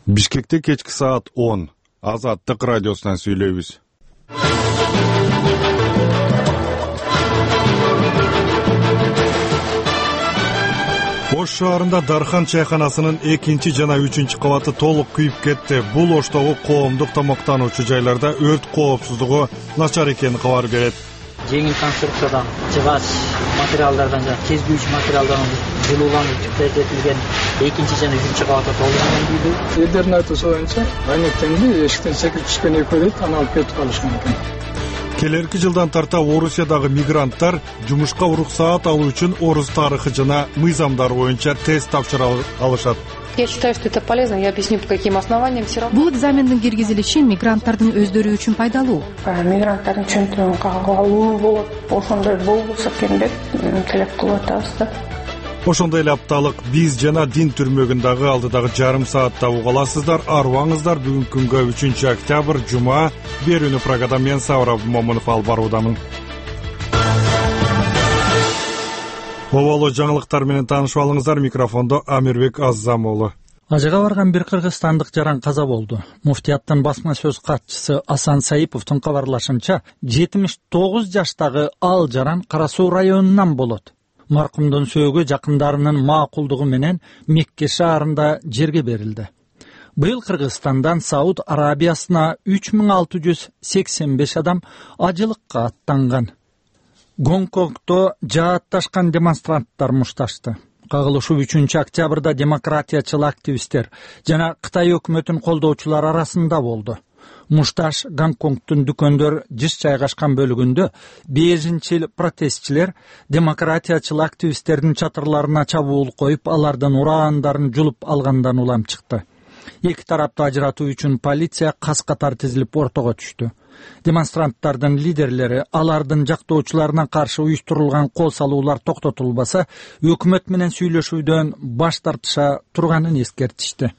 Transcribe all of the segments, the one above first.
Бишкекте кечки саат 10. Азаттык радиосунан сүйлөйбүз. Ош шаарында Дархан чайканасынын 2 жана 3 кабаты толук күйүп кетти. Бул Оштогу коомдук тамактануучу жайларда өрт коопсуздугу начар экенин кабар берет. Жеңил конструкциядан жыгач материалдардан жана кезгүүчү материалдардан жылууланып этилген 2 жана 3 кабаты толугунан күйдү. Элдердин айтуусу боюнча айнектенди эшиктен секирип түшкөн экөө дейт, аны алып кетип калышкан экен. Келерки жылдан тарта Орусиядагы мигранттар жумушка уруксаат алуу үчүн орус тарыхы жана мыйзамдары боюнча тест тапшыра алышат. Я считаю, что это полезно. Я объясню, по каким основаниям. Все равно. Бул экзамендин киргизилиши мигранттардын өздөрү үчүн пайдалуу. Мигранттардын чөнтүгүн кагып алуу болот. Ошондой болбосо экен деп тилек кылып атабыз да. Ошондой эле апталык биз жана дин түрмөгүндагы алдыдагы жарым саатта угаласыздар. Арыбаңыздар, бүгүнкү күнгө 3 октябрь жума. Берүүнү программада мен Сабыр Абдымомунов алып баруудамын. Оболо жаңылыктар менен таанышып алыңыздар. Микрофондо Амирбек Аззамуулу. Ажыга барган бир кыргызстандык жаран каза болду. Муфтияттын басма сөз катчысы Асан Саиповдун кабарлашынча, 79 жаштагы ал жаран Кара Суу районунан болот. Маркумдун сөөгү жакындарынын макулдугу менен Мекке шаарында жерге берилди. Быйыл Кыргызстандан Сауд Арабиясына 3685 адам ажылыкка аттанган. Гонконгдо жаатташкан демонстранттар мушташты. Кагылышуу 3 октябрда демократиячыл активисттер жана Кытай өкмөтүн колдоочулар арасында болду. Мушташ Гонконгдун дүкөндөр жыш жайгашкан бөлүгүндө бежинчил протестчилер демократиячыл активисттердин чатырларына чабуул коюп, алардын ураандарын жулуп алгандан улам чыкты. Эки тарапты ажыратуу үчүн полиция кас-катар тизилип ортого түштү. Демонстранттардын лидерлери алардын жактоочуларына каршы уюштурулган кол салуулар токтотулбаса, өкмөт менен сүйлөшүүдөн баш тартыша турганын эскертишти.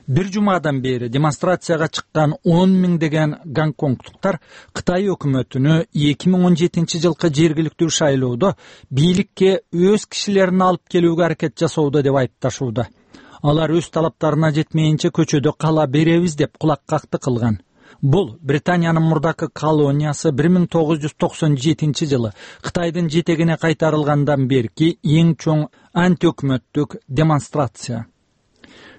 Бир жумадан бери демонстрацияга чыккан 10 миңдеген гонконгдуктар Кытай өкмөтүнө 2017 жылкы жергиликтүү шайлоодо бийликке өз кишилерин алып келүүгө аракет жасоодо деп айыпташууда. Алар өз талаптарына жетмейинче көчөдө кала беребиз деп кулаккакты кылган. Бул Британиянын мурдакы колониясы 1997 жылы Кытайдын жетегине кайтарылгандан берки эң чоң антиөкмөттүк демонстрация.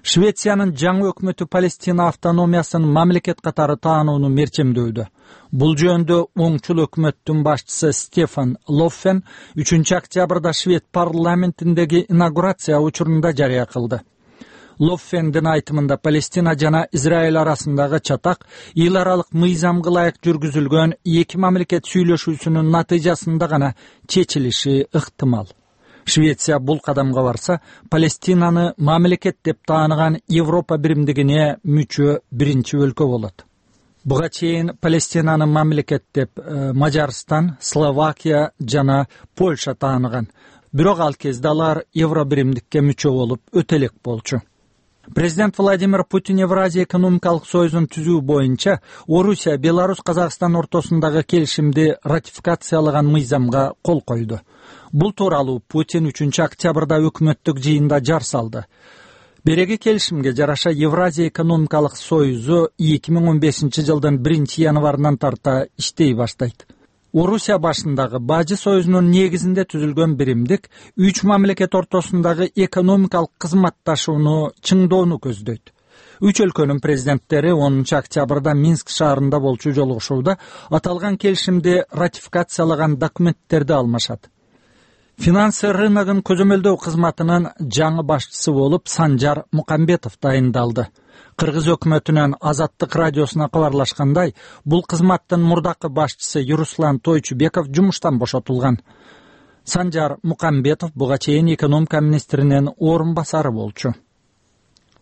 Швециянын жаңы өкмөтү Палестина автономиясын мамлекет катары таанууну мерчемдөydө. Бул жөнүндө оңчул өкмөттүн башчысы Стефан Лоффен 3 октябрда Швед парламентиндеги инаугурация учурунда жарыя кылды. Лоффендин айтымында Палестина жана Израиль арасындагы чатак эл аралык мыйзамга ылайык жүргүзүлгөн эки мамлекет сүйлөшүүсүнүн натыйжасында гана чечилиши ыктымал. Швеция бул кадамга барса, Палестинаны мамлекет деп тааныган Европа биримдигине мүчө биринчи өлкө болот. Буга чейин Палестинаны мамлекет деп Мажарстан, Словакия жана Польша тааныган. Бирок ал кезде алар Евро биримдикке мүчө болуп өтө элек болчу. Президент Владимир Путин Евразия экономикалык союзун түзүү боюнча Орусия, Беларусь, Казакстан ортосундагы келишимди ратификациялаган мыйзамга кол койду. Бул тууралуу Путин 3 октябрда өкмөттүк жыйында жар салды. Береги келишимге жараша Евразия экономикалык союзу 2015 жылдын 1 январынан тарта иштей баштайт. Орусия башындагы Бажы союзунун негизинде түзүлгөн биримдик 3 мамлекет ортосундагы экономикалык кызматташууну чыңдоону көздөйт. 3 өлкөнүн президенттери 10 октябрда Минск шаарында болчу жолугушууда аталган келишимди ратификациялаган документтерди алмашат. Финансы рыногун көзөмөлдөө кызматынын жаңы башчысы болуп Санжар Мукамбетов дайындалды. Кыргыз өкмөтүнүн Азаттык радиосуна кабарлашкандай, бул кызматтын мурдакы башчысы Руслан Тойчубеков жумуштан бошотулган. Санжар Мукамбетов буга чейин экономика министринин орун басары болчу.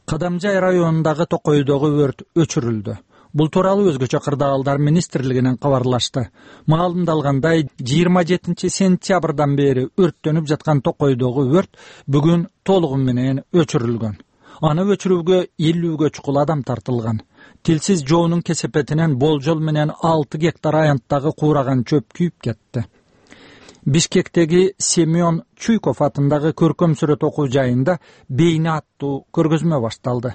Кадамжай районундагы Токойдогу өрт өчүрүлдү. Бул тууралуу өзгөчө кырдаалдар министрлигинен кабарлашты. Маалымдалгандай, 27 сентябрдан бери өрттөнүп жаткан Токойдогу өрт бүгүн толугу менен өчүрүлгөн. Аны өчүрүүгө 50гө чукул адам тартылган. Тилсиз жоонун кесепетинен болжол менен 6 гектар аянттагы куураган чөп күйүп кетти. Бишкектеги Семен Чуйков атындагы көркөм сүрөт окуу жайында бейне аттуу көргөзмө башталды.